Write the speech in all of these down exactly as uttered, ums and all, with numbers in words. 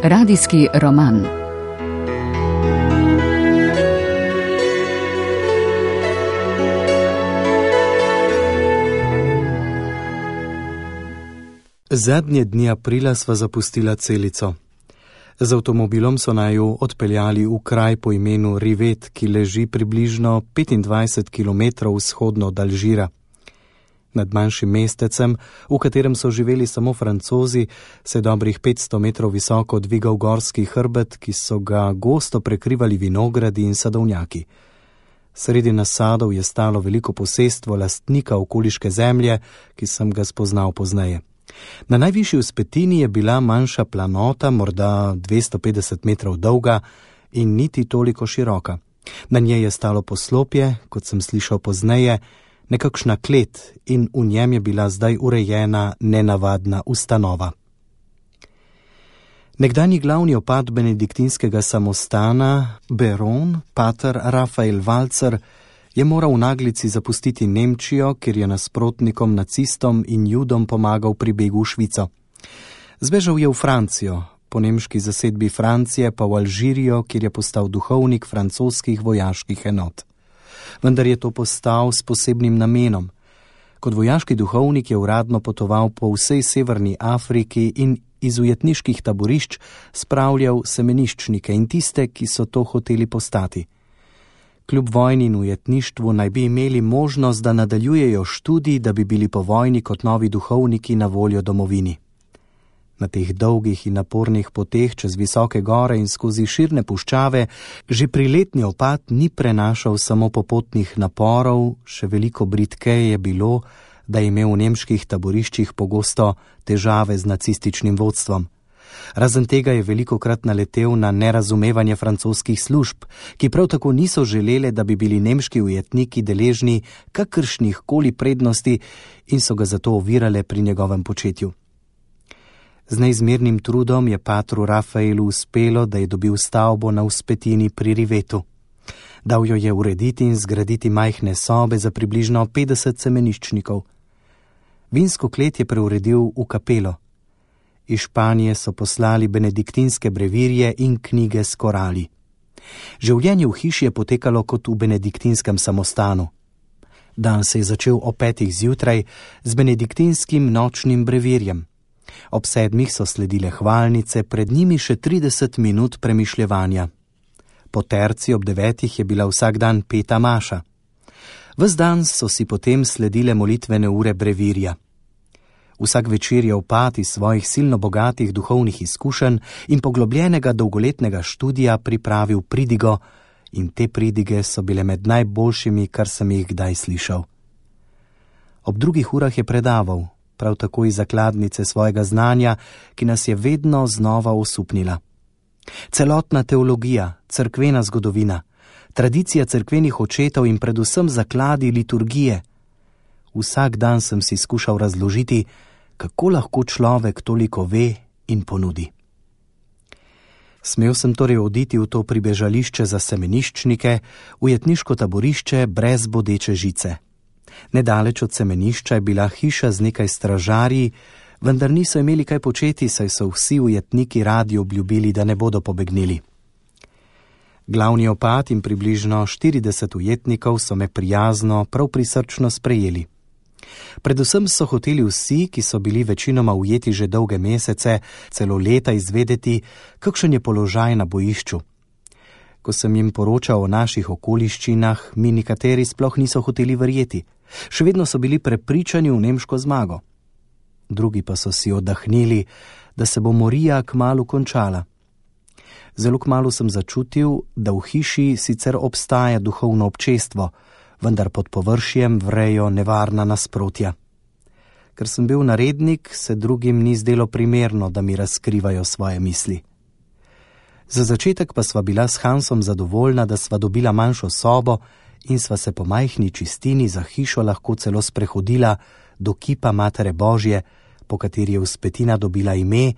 Radijski roman. Zadnje dni aprila sva zapustila Celico. Z avtomobilom so naju odpeljali v kraj po imenu Rivet, ki leži približno petindvajset kilometrov vzhodno od Alžira. Nad manjšim mestecem, v katerem so živeli samo Francozi, se je dobrih petsto metrov visoko dvigal gorski hrbet, ki so ga gosto prekrivali vinogradi in sadovnjaki. Sredi nasadov je stalo veliko posestvo lastnika okoliške zemlje, ki sem ga spoznal pozneje. Na najvišji vzpetini je bila manjša planota, morda dvesto petdeset metrov dolga in niti toliko široka. Na njej je stalo poslopje, kot sem slišal pozneje, nekakšna klet in v njem je bila zdaj urejena nenavadna ustanova. Nekdanji glavni opat benediktinskega samostana, baron pater Rafael Valcer, je moral v naglici zapustiti Nemčijo, kjer je nasprotnikom, nacistom in judom pomagal pri begu v Švico. Zbežal je v Francijo, po nemški zasedbi Francije pa v Alžirijo, kjer je postal duhovnik francoskih vojaških enot. Vendar je to postal s posebnim namenom. Kot vojaški duhovnik je uradno potoval po vsej severni Afriki in iz ujetniških taborišč spravljal semeniščnike in tiste, ki so to hoteli postati. Kljub vojni in ujetništvu naj bi imeli možnost, da nadaljujejo študij, da bi bili po vojni kot novi duhovniki na voljo domovini. Na teh dolgih in napornih poteh čez visoke gore in skozi širne puščave že priletni opat ni prenašal samo popotnih naporov, še veliko bridkeje je bilo, da je imel v nemških taboriščih pogosto težave z nacističnim vodstvom. Razen tega je velikokrat naletel na nerazumevanje francoskih služb, ki prav tako niso želele, da bi bili nemški ujetniki deležni kakršnih koli prednosti in so ga zato ovirale pri njegovem početju. Z neizmernim trudom je patru Rafaelu uspelo, da je dobil stavbo na vzpetini pri Rivetu. Dal jo je urediti in zgraditi majhne sobe za približno petdeset semeniščnikov. Vinsko klet je preuredil v kapelo. Iz Španije so poslali benediktinske brevirje in knjige s korali. Življenje v hiši je potekalo kot v benediktinskem samostanu. Dan se je začel ob petih zjutraj z benediktinskim nočnim brevirjem. Ob sedmih so sledile hvalnice, pred njimi še trideset minut premišljevanja. Po terci ob devetih je bila vsak dan peta maša. Ves dan so si potem sledile molitvene ure brevirja. Vsak večer je opat iz svojih silno bogatih duhovnih izkušenj in poglobljenega dolgoletnega študija pripravil pridigo in te pridige so bile med najboljšimi, kar sem jih kdaj slišal. Ob drugih urah je predaval, prav tako iz zakladnice svojega znanja, ki nas je vedno znova osupnila. Celotna teologija, cerkvena zgodovina, tradicija cerkvenih očetov in predvsem zakladi liturgije. Vsak dan sem si skušal razložiti, kako lahko človek toliko ve in ponudi. Smel sem torej oditi v to pribežališče za semeniščnike, ujetniško taborišče brez bodeče žice. Nedaleč od semenišča je bila hiša z nekaj stražarji, vendar niso imeli kaj početi, saj so vsi ujetniki radi obljubili, da ne bodo pobegnili. Glavni opat in približno štirideset ujetnikov so me prijazno, prav prisrčno sprejeli. Predvsem so hoteli vsi, ki so bili večinoma ujeti že dolge mesece, celo leta izvedeti, kakšen je položaj na bojišču. Ko sem jim poročal o naših okoliščinah, mi nekateri sploh niso hoteli verjeti. Še vedno so bili prepričani v nemško zmago. Drugi pa so si oddahnili, da se bo morija kmalu končala. Zelo kmalu sem začutil, da v hiši sicer obstaja duhovno občestvo, vendar pod površjem vrejo nevarna nasprotja. Ker sem bil narednik, se drugim ni zdelo primerno, da mi razkrivajo svoje misli. Za začetek pa sva bila s Hansom zadovoljna, da sva dobila manjšo sobo in sva se po majhni čistini za hišo lahko celo sprehodila do kipa Matere Božje, po kateri je vzpetina dobila ime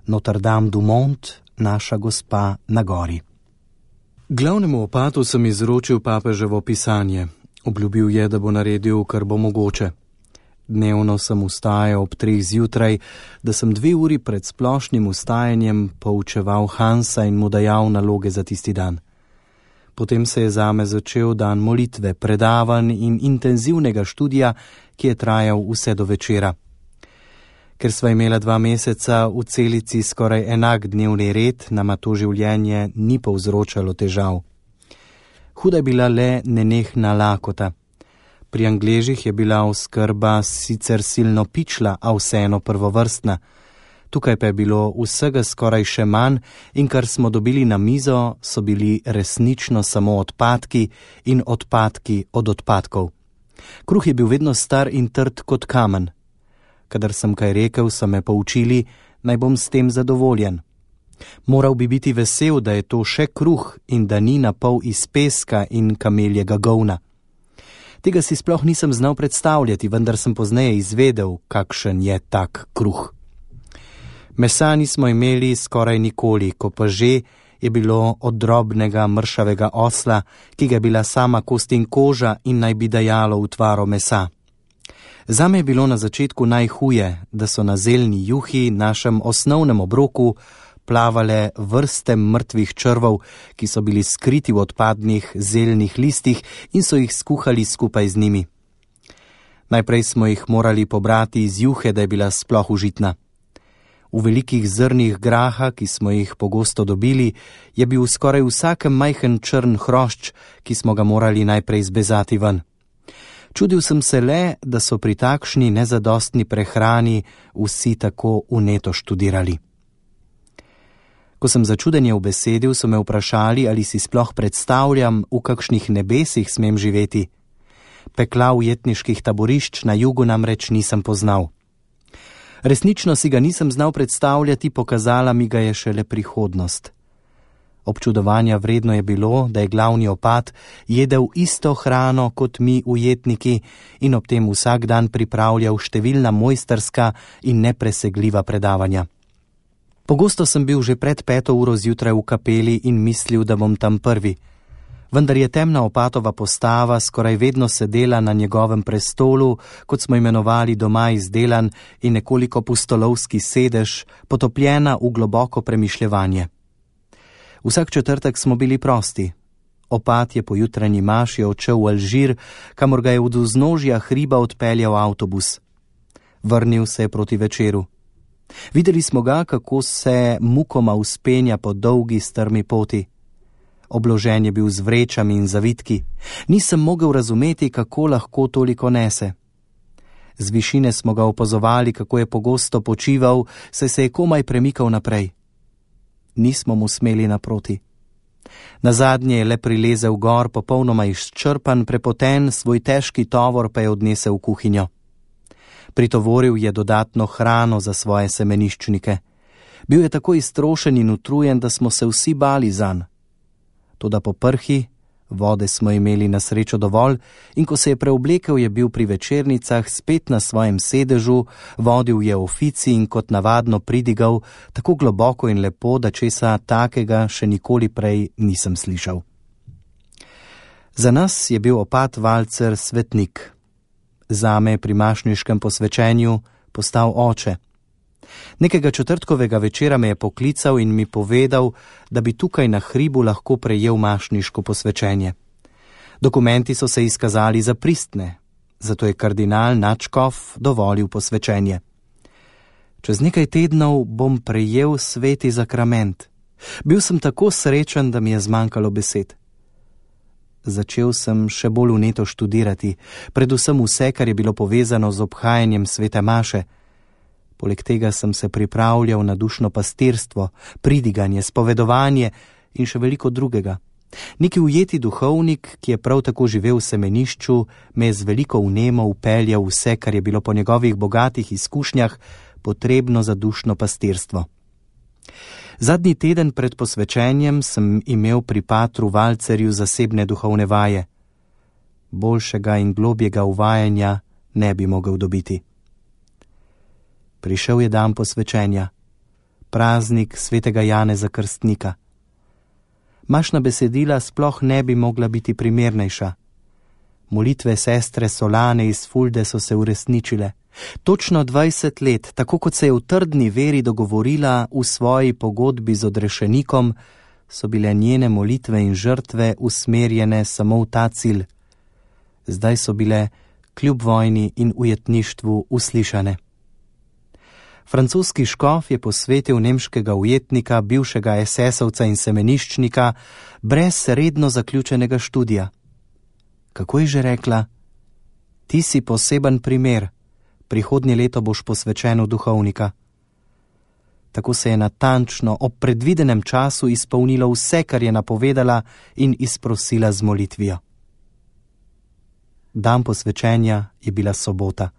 Notre Dame du Mont, naša gospa na gori. Glavnemu opatu sem izročil papeževo pisanje. Obljubil je, da bo naredil, kar bo mogoče. Dnevno sem vstajal ob treh zjutraj, da sem dve uri pred splošnim vstajanjem poučeval Hansa in mu dajal naloge za tisti dan. Potem se je zame začel dan molitve, predavanj in intenzivnega študija, ki je trajal vse do večera. Ker sva imela dva meseca v celici skoraj enak dnevni red, nama to življenje ni povzročalo težav. Huda je bila le nenehna lakota. Pri Angležih je bila oskrba sicer silno pičla, a vseeno prvovrstna. Tukaj pa je bilo vsega skoraj še manj in kar smo dobili na mizo, so bili resnično samo odpadki in odpadki od odpadkov. Kruh je bil vedno star in trd kot kamen. Kadar sem kaj rekel, so me poučili, naj bom s tem zadovoljen. Moral bi biti vesel, da je to še kruh in da ni napol iz peska in kameljega govna. Tega si sploh nisem znal predstavljati, vendar sem pozneje izvedel, kakšen je tak kruh. Mesa nismo imeli skoraj nikoli, ko pa že je bilo od drobnega mršavega osla, ki ga je bila sama kost in koža in naj bi dajalo utvaro mesa. Zame je bilo na začetku najhuje, da so na zeljni juhi, našem osnovnem obroku, plavale vrste mrtvih črvov, ki so bili skriti v odpadnih zeljnih listih in so jih skuhali skupaj z njimi. Najprej smo jih morali pobrati iz juhe, da je bila sploh užitna. V velikih zrnih graha, ki smo jih pogosto dobili, je bil skoraj vsakem majhen črn hrošč, ki smo ga morali najprej zbezati ven. Čudil sem se le, da so pri takšni nezadostni prehrani vsi tako vneto študirali. Ko sem začudenje ubesedil, so me vprašali, ali si sploh predstavljam, v kakšnih nebesih smem živeti. Pekla ujetniških taborišč na jugu namreč nisem poznal. Resnično si ga nisem znal predstavljati, pokazala mi ga je šele prihodnost. Občudovanja vredno je bilo, da je glavni opat jedel isto hrano kot mi ujetniki in ob tem vsak dan pripravljal številna mojsterska in nepresegljiva predavanja. Pogosto sem bil že pred peto uro zjutraj v kapeli in mislil, da bom tam prvi. Vendar je temna opatova postava skoraj vedno sedela na njegovem prestolu, kot smo imenovali doma izdelan in nekoliko pustolovski sedež, potopljena v globoko premišljevanje. Vsak četrtek smo bili prosti. Opat je po jutranji maši odšel v Alžir, kamor ga je od vznožja hriba odpeljal avtobus. Vrnil se je proti večeru. Videli smo ga, kako se mukoma vzpenja po dolgi strmi poti. Obložen je bil z vrečami in zavitki. Nisem mogel razumeti, kako lahko toliko nese. Z višine smo ga opazovali, kako je pogosto počival, saj se je komaj premikal naprej. Nismo mu smeli naproti. Nazadnje je le prilezel gor, popolnoma izčrpan, prepoten, svoj težki tovor pa je odnesel v kuhinjo. Pritovoril je dodatno hrano za svoje semeniščnike. Bil je tako iztrošen in utrujen, da smo se vsi bali zanj. Toda po prhi, vode smo imeli na srečo dovolj in ko se je preoblekel, je bil pri večernicah spet na svojem sedežu, vodil je ofici in kot navadno pridigal tako globoko in lepo, da česa takega še nikoli prej nisem slišal. Za nas je bil opat Valcer svetnik. Zame pri mašniškem posvečenju postal oče. Nekega četrtkovega večera me je poklical in mi povedal, da bi tukaj na hribu lahko prejel mašniško posvečenje. Dokumenti so se izkazali za pristne, zato je kardinal Načkov dovolil posvečenje. Čez nekaj tednov bom prejel sveti zakrament. Bil sem tako srečen, da mi je zmanjkalo besed. Začel sem še bolj vneto študirati, predvsem vse, kar je bilo povezano z obhajanjem svete maše. Poleg tega sem se pripravljal na dušno pastirstvo, pridiganje, spovedovanje in še veliko drugega. Neki ujeti duhovnik, ki je prav tako živel v semenišču, me je z veliko vnemo upeljal vse, kar je bilo po njegovih bogatih izkušnjah potrebno za dušno pastirstvo. Zadnji teden pred posvečenjem sem imel pri patru Valcerju zasebne duhovne vaje. Boljšega in globjega uvajanja ne bi mogel dobiti. Prišel je dan posvečenja, praznik svetega Janeza Krstnika. Mašna besedila sploh ne bi mogla biti primernejša. Molitve sestre Solane iz Fulde so se uresničile. Točno dvajset let, tako kot se je v trdni veri dogovorila v svoji pogodbi z odrešenikom, so bile njene molitve in žrtve usmerjene samo v ta cilj. Zdaj so bile kljub vojni in ujetništvu uslišane. Francoski škof je posvetil nemškega ujetnika, bivšega esesovca in semeniščnika, brez redno zaključenega študija. Kako je že rekla? Ti si poseben primer, prihodnje leto boš posvečen v duhovnika. Tako se je natančno ob predvidenem času izpolnilo vse, kar je napovedala in izprosila z molitvijo. Dan posvečenja je bila sobota.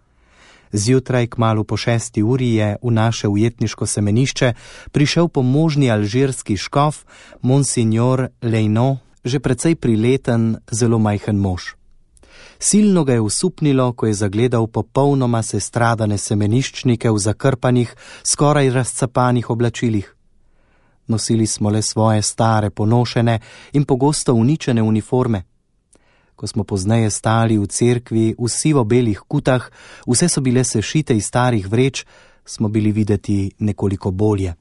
Zjutraj, kmalu po šesti uri, je v naše ujetniško semenišče prišel pomožni alžirski škof, monsignor Lejno, že precej prileten, zelo majhen mož. Silno ga je usupnilo, ko je zagledal popolnoma sestradane semeniščnike v zakrpanih, skoraj razcapanih oblačilih. Nosili smo le svoje stare, ponošene in pogosto uničene uniforme. Ko smo pozneje stali v cerkvi v sivo-belih kutah, vse so bile sešite iz starih vreč, smo bili videti nekoliko bolje.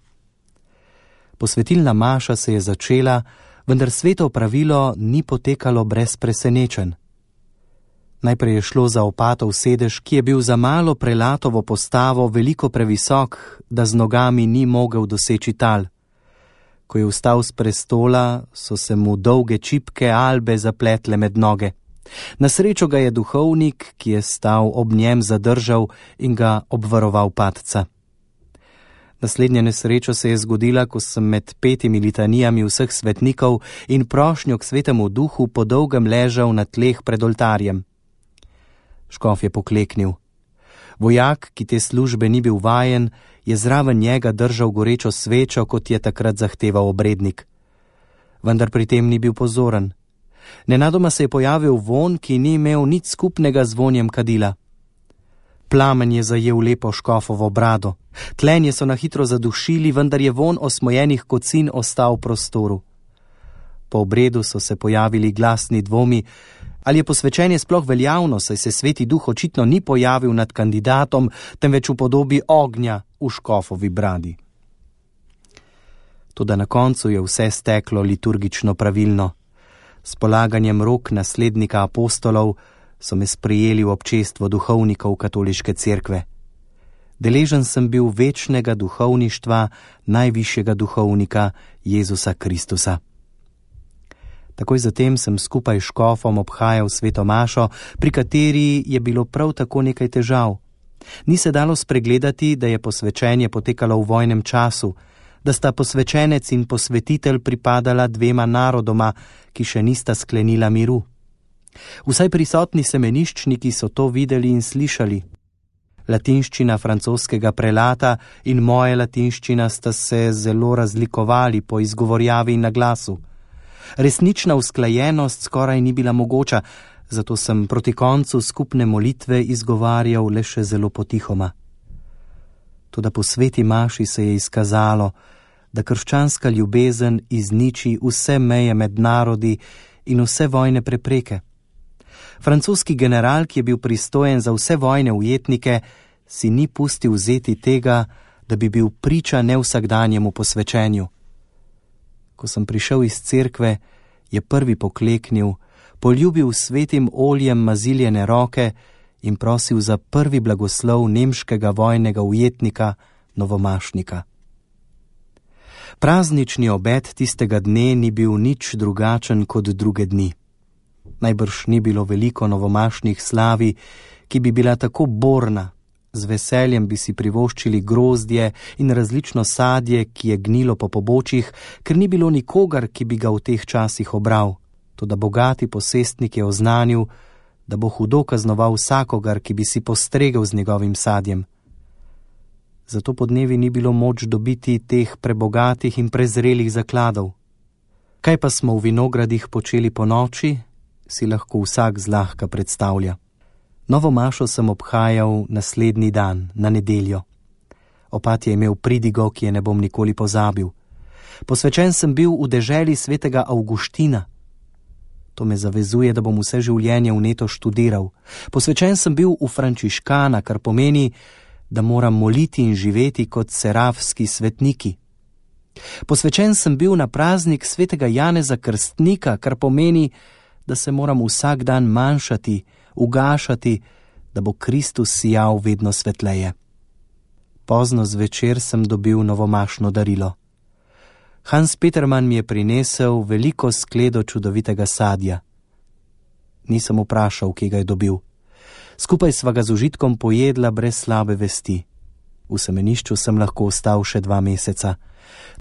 Posvetilna maša se je začela, vendar sveto pravilo ni potekalo brez presenečenj. Najprej je šlo za opatov sedež, ki je bil za malo prelatovo postavo veliko previsok, da z nogami ni mogel doseči tal. Ko je vstal z prestola, so se mu dolge čipke albe zapletle med noge. Na srečo ga je duhovnik, ki je stal ob njem, zadržal in ga obvaroval padca. Naslednja nesreča se je zgodila, ko sem med petimi litanijami vseh svetnikov in prošnjo k svetemu duhu po dolgem ležal na tleh pred oltarjem. Škof je pokleknil. Vojak, ki te službe ni bil vajen, je zraven njega držal gorečo svečo, kot je takrat zahteval obrednik. Vendar pri tem ni bil pozoren. Nenadoma se je pojavil vonj, ki ni imel nič skupnega z vonjem kadila. Plamen je zajel lepo škofovo brado. Tlenje so na hitro zadušili, vendar je vonj osmojenih kocin ostal v prostoru. Po obredu so se pojavili glasni dvomi, ali je posvečenje sploh veljavno, saj se sveti duh očitno ni pojavil nad kandidatom, temveč v podobi ognja v škofovi bradi. Toda na koncu je vse steklo liturgično pravilno. S polaganjem rok naslednika apostolov so me sprejeli v občestvo duhovnikov katoliške cerkve. Deležen sem bil večnega duhovništva najvišjega duhovnika Jezusa Kristusa. Takoj zatem sem skupaj s škofom obhajal sveto mašo, pri kateri je bilo prav tako nekaj težav. Ni se dalo spregledati, da je posvečenje potekalo v vojnem času, da sta posvečenec in posvetitelj pripadala dvema narodoma, ki še nista sklenila miru. Vsaj prisotni semeniščniki so to videli in slišali. Latinščina francoskega prelata in moja latinščina sta se zelo razlikovali po izgovorjavi in naglasu. Resnična usklajenost skoraj ni bila mogoča, zato sem proti koncu skupne molitve izgovarjal le še zelo potihoma. Toda po sveti maši se je izkazalo, da krščanska ljubezen izniči vse meje med narodi in vse vojne prepreke. Francoski general, ki je bil pristojen za vse vojne ujetnike, si ni pustil vzeti tega, da bi bil priča nevsakdanjemu posvečenju. Ko sem prišel iz cerkve, je prvi pokleknil, poljubil svetim oljem maziljene roke in prosil za prvi blagoslov nemškega vojnega ujetnika, novomašnika. Praznični obed tistega dne ni bil nič drugačen kot druge dni. Najbrž ni bilo veliko novomašnih slavi, ki bi bila tako borna. Z veseljem bi si privoščili grozdje in različno sadje, ki je gnilo po pobočjih, ker ni bilo nikogar, ki bi ga v teh časih obral. Toda bogati posestnik je oznanil, da bo hudo kaznoval vsakogar, ki bi si postregel z njegovim sadjem. Zato podnevi ni bilo moč dobiti teh prebogatih in prezrelih zakladov. Kaj pa smo v vinogradih počeli po noči, si lahko vsak zlahka predstavlja. Novo mašo sem obhajal naslednji dan, na nedeljo. Opat je imel pridigo, ki je ne bom nikoli pozabil. Posvečen sem bil v deželi svetega Avguština. To me zavezuje, da bom vse življenje vneto študiral. Posvečen sem bil v frančiškana, kar pomeni, da moram moliti in živeti kot serafski svetniki. Posvečen sem bil na praznik svetega Janeza Krstnika, kar pomeni, da se moram vsak dan manjšati, ugašati, da bo Kristus sijal vedno svetleje. Pozno zvečer sem dobil novomašno darilo. Hans Petermann mi je prinesel veliko skledo čudovitega sadja. Nisem vprašal, kje ga je dobil. Skupaj sva ga z užitkom pojedla brez slabe vesti. V semenišču sem lahko ostal še dva meseca.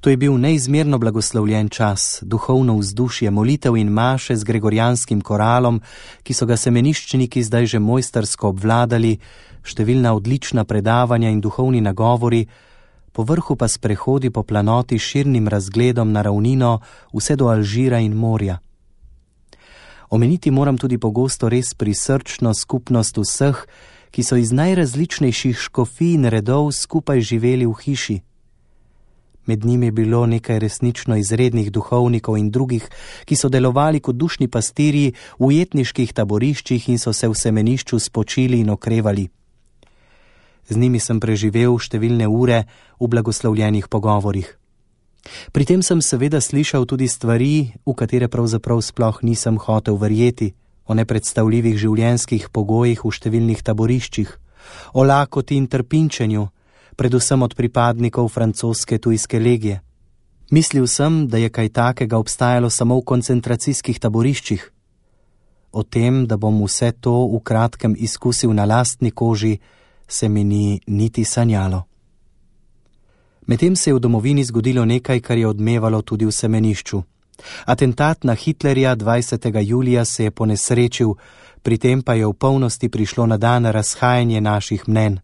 To je bil neizmerno blagoslovljen čas, duhovno vzdušje, molitev in maše z gregorijanskim koralom, ki so ga semeniščniki zdaj že mojstersko obvladali, številna odlična predavanja in duhovni nagovori, po vrhu pa sprehodi po planoti s širnim razgledom na ravnino vse do Alžira in morja. Omeniti moram tudi pogosto res prisrčno skupnost vseh, ki so iz najrazličnejših škofij in redov skupaj živeli v hiši. Med njimi je bilo nekaj resnično izrednih duhovnikov in drugih, ki so delovali kot dušni pastirji v ujetniških taboriščih in so se v semenišču spočili in okrevali. Z njimi sem preživel številne ure v blagoslovljenih pogovorih. Pri tem sem seveda slišal tudi stvari, v katere pravzaprav sploh nisem hotel verjeti, o nepredstavljivih življenjskih pogojih v številnih taboriščih, o lakoti in trpinčenju, predvsem od pripadnikov francoske tujske legije. Mislil sem, da je kaj takega obstajalo samo v koncentracijskih taboriščih. O tem, da bom vse to v kratkem izkusil na lastni koži, se mi ni niti sanjalo. Medtem se je v domovini zgodilo nekaj, kar je odmevalo tudi v semenišču. Atentat na Hitlerja dvajsetega julija se je ponesrečil, pri tem pa je v polnosti prišlo na dan razhajanje naših mnenj.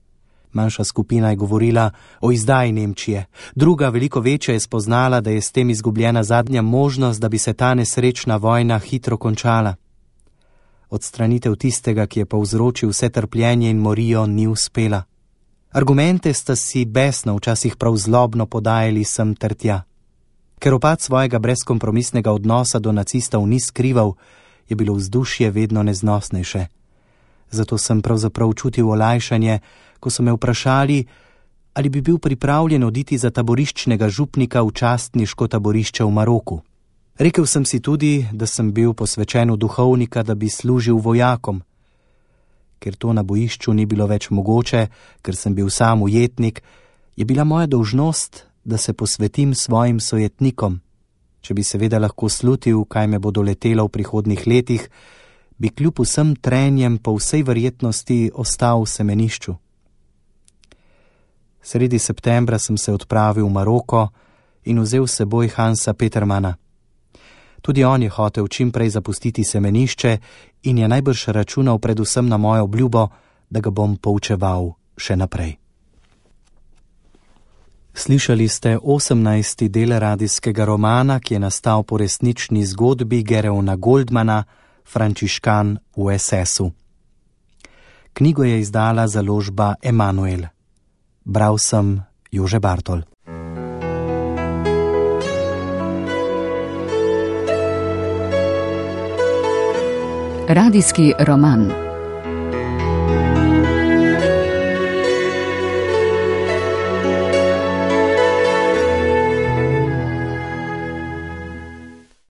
Manjša skupina je govorila o izdaji Nemčije, druga, veliko večja, je spoznala, da je s tem izgubljena zadnja možnost, da bi se ta nesrečna vojna hitro končala. Odstranitev tistega, ki je povzročil vse trpljenje in morijo, ni uspela. Argumente sta si besno, včasih prav zlobno podajali sem ter tja. Ker opad svojega brezkompromisnega odnosa do nacistov ni skrival, je bilo vzdušje vedno neznosnejše. Zato sem pravzaprav čutil olajšanje, ko so me vprašali, ali bi bil pripravljen oditi za taboriščnega župnika v častniško taborišče v Maroku. Rekel sem si tudi, da sem bil posvečen v duhovnika, da bi služil vojakom. Ker to na bojišču ni bilo več mogoče, ker sem bil sam ujetnik, je bila moja dolžnost, da se posvetim svojim sojetnikom. Če bi seveda lahko slutil, kaj me bo doletelo v prihodnih letih, bi kljub vsem trenjem po vsej verjetnosti ostal v semenišču. Sredi septembra sem se odpravil v Maroko in vzel s seboj Hansa Petermana. Tudi on je hotel čim prej zapustiti semenišče in je najbrž računal predvsem na mojo obljubo, da ga bom poučeval še naprej. Slišali ste osemnajsti del radijskega romana, ki je nastal po resnični zgodbi Gereona Goldmana, Frančiškan v es esu. Knjigo je izdala založba Emanuel. Bral sem Jože Bartol. Radijski roman.